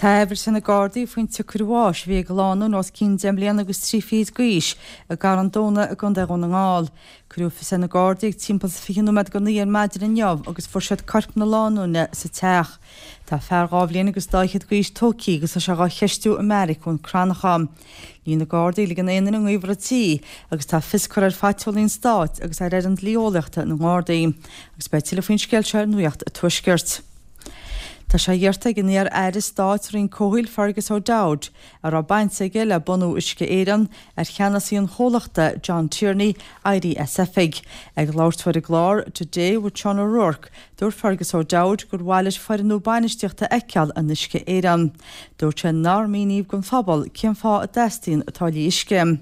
Tá aiféala ar na Gardaí faoin tsiocair bháis a bhí ag lánúin os cionn 10 mbliana agus 3 fichid d'aois i gCarn Domhnach i gContae Dhún na nGall. Cuireadh fios ar na Gardaí ag timpeall is 20 nóiméad go 9 ar maidin inniu agus fuair siad corp na lánúine sa teach. Tá fear dhá bhliain agus dá fhichead d'aois tógtha agus tá sé dhá cheistiú i mbeairic Dhún Cranncha. Níl na Gardaí ag ligean aon duine i ngaobhar an tí agus tá fios curtha ar phatrólí an Stáit agus ar fhoireann dlí-eolaíochta na nGardaí. Agus beidh tuilleadh faoin scéal seo ar Nuacht an Tuaiscirt. Tá sé iarrta ag an iar-aire stáit sa Roinn Comhshaoil Fergus O'Dowd, a raibh baint aige le bunú Uisce Éireann, ar cheannasaí an chomhlachta, John Tierney, éirí as oifig. Ag labhairt dó ar an gclár Today with Sean O'Rourke, dúirt Fergus O'Dowd gur mhaith leis foireann nua bainistíochta a fheiceáil in Uisce Éireann. Dúirt sé nár míníodh don phobal cén fáth a dteastaíonn táillí uisce.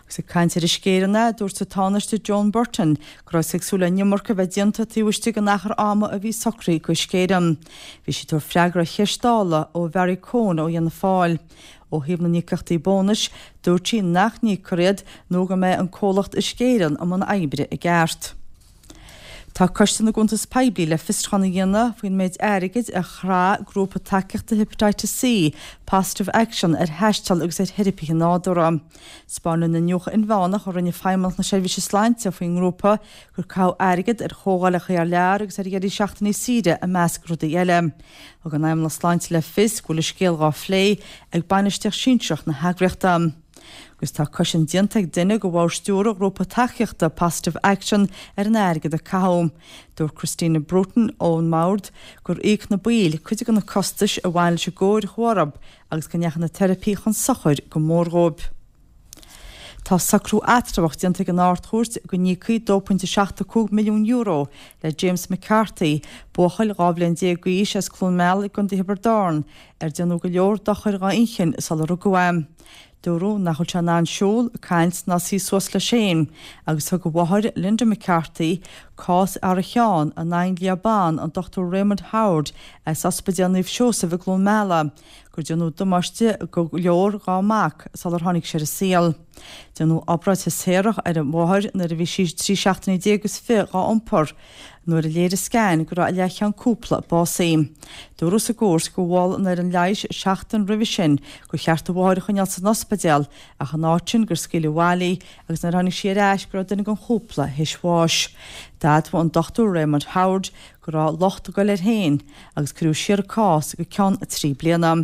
Agus ag caint ar Uisce Éireann é, dúirt an Tánaiste Joan Burton go raibh sí ag súil le an iomarca a bheith déanta taobh istigh den achar ama a bhí socraithe d'Uisce Éireann. Bhí sí ag tabhairt freagra ar cheist Dála ó Bharry Coen ó Fhianna Fáil. Ó thaobh na n-íocaíochtaí bónais, dúirt sí nach n-íocfar iad nó go mbeidh an comhlacht Uisce Éireann i mbun oibre i gceart. Tá Coiste na gCuntas Poiblí le fiosrúchán a dhéanamh faoin méid airgid a chraith grúpa tacaíochta Hepatitis C, Positive Action, ar thaisteal agus ar theiripithe nádúrtha. 'Spáineann an iniúchadh inmheánach a rinne Feidhmeannacht na Seirbhíse Sláinte faoin ngrúpa gur caitheadh airgead ar chomhdhálacha thar lear agus ar dheirí seachtainí saoire i measc rudaí eile. Thug an Fheidhmeannacht Sláinte le fios go bhfuil an scéal dhá phlé ag bainistíocht sinsearach na heagraíochta. Agus tá cosaint déanta ag duine de bhord stiúrtha ghrúpa tacaíochta Positive Action ar an airgead a caitheadh. Dúirt Christina Bruton ón mbord gur íoc na baill cuid de na costais a bhain leis an gcóir a chuaigh orthu agus go ndeachaigh na teiripí chun sochair go mór dhóibh. Tá socrú eatramhach déanta ag an Ard-Chúirt go n-íocfaí €2.75 milliún le James McCarthy, buachaill 12 bhliain d'aois as Cluain Meala i gContae Thiobraid Árann, ar déanadh go leor dochair dhá inchinn sular rugadh é. Dúradh nach bhfuil sé in ann siúl, caint ná suí suas leis féin agus thug a mháthair, Linda McCarthy, cás thar a cheann in aghaidh an lia ban, an Dr Raymond Howard as Ospidéal Naomh Seosamh i gCluain Meala, gur déanadh damáiste go leor dhá mac sular tháinig sé ar an saol. Déanadh obráid Chaesareach ar an mháthair nuair a bhí sí 13 seachtainí is 20 dhá iompar. Nuair a léirigh scan go raibh a leathcheann cúpla básaithe. Dúradh sa gcúirt gur mhol an fhoireann leighis seachtain roimhe sin gur cheart a mháthair a choinneáil san ospidéal ach in áit sin gur scaoileadh abhaile í agus nuair a tháinig sí ar ais go raibh duine den chúpla théis bháis. D'admhaigh an Dr Raymond Howard go raibh locht ag dul air féin agus cuireadh siar an cás go ceann 3 bliana.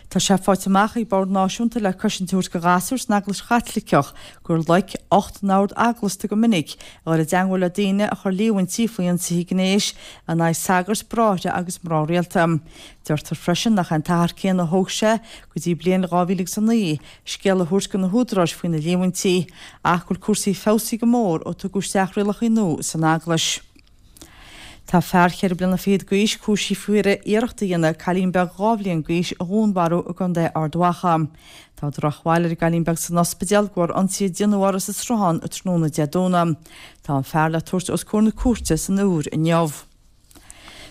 Tá sé faighte amach ag Bord Náisiúnta le Cosaint a Thabhairt do Ghasúir san Eaglais Chaitliceach gur loic 8 n-ord eaglasta go minic a dhul i dteangmháil le daoine a chuir líomhaintí faoi ionsaithe gnéis in aghaidh sagairt, bráithre agus mná rialta. Deirtear freisin nach é an t-achar céanna a thóg sé go dtí bliain 2009 scéala a thabhairt do na húdaráis faoi na líomhaintí ach go bhfuil cúrsaí feabhsaithe go mór ó tugadh isteach rialacha nua san Eaglais. Tá fear cheithre bliana fichead d'aois cúisithe faoi iarracht a dhéanamh cailín beag 2 bhliain d'aois a dhúnmharú i gContae Ard Mhacha. Tá drochbhail ar an gcailín beag san ospidéal de bharr ionsaí a déanadh uirthi sa sruthán tráthnóna Dé Domhnaigh. Tá an fear le tabhairt os comhair na cúirte san Iúr inniu.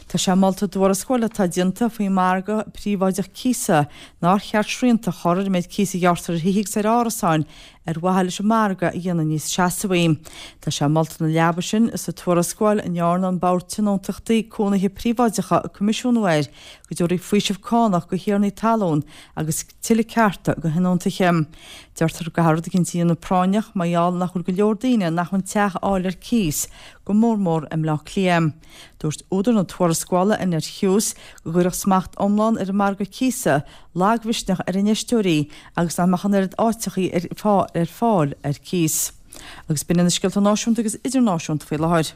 Tá sé molta i dtuarascáil atá déanta faoin margadh príobháideach cíosa nár cheart srianta a chur ar an méid cíos a ghearrtar ar thithe agus ar árasáin ar mhaithe leis an margadh a dhéanamh níos seasmhaí. Tá sé molta ina leaba sin sa tuarascáil a ndearna an Bord Tionóntachtaí Cónaithe Príobháideacha coimisiúnú air go dtabharfaí faoiseamh cánach do thiarnaí talún agus tuilleadh cearta do thionóntaithe. Deirtear go gcaithfear rud eicínt a dhéanamh práinneach mar gheall nach bhfuil go leor daoine in acmhainn teach a fháil ar cíos, go mór mór i mBleá Cliath. Dúirt údar na tuarascála, Annette Hughes, go gcuirfeadh smacht iomlán ar an margadh cíosa lagmhisneach ar infheisteoirí agus nach mbeadh an oiread áiteachaí ar fáil ar cíos. Agus b'in iad na scéalta náisiúnta agus idirnáisiúnta faoi láthair.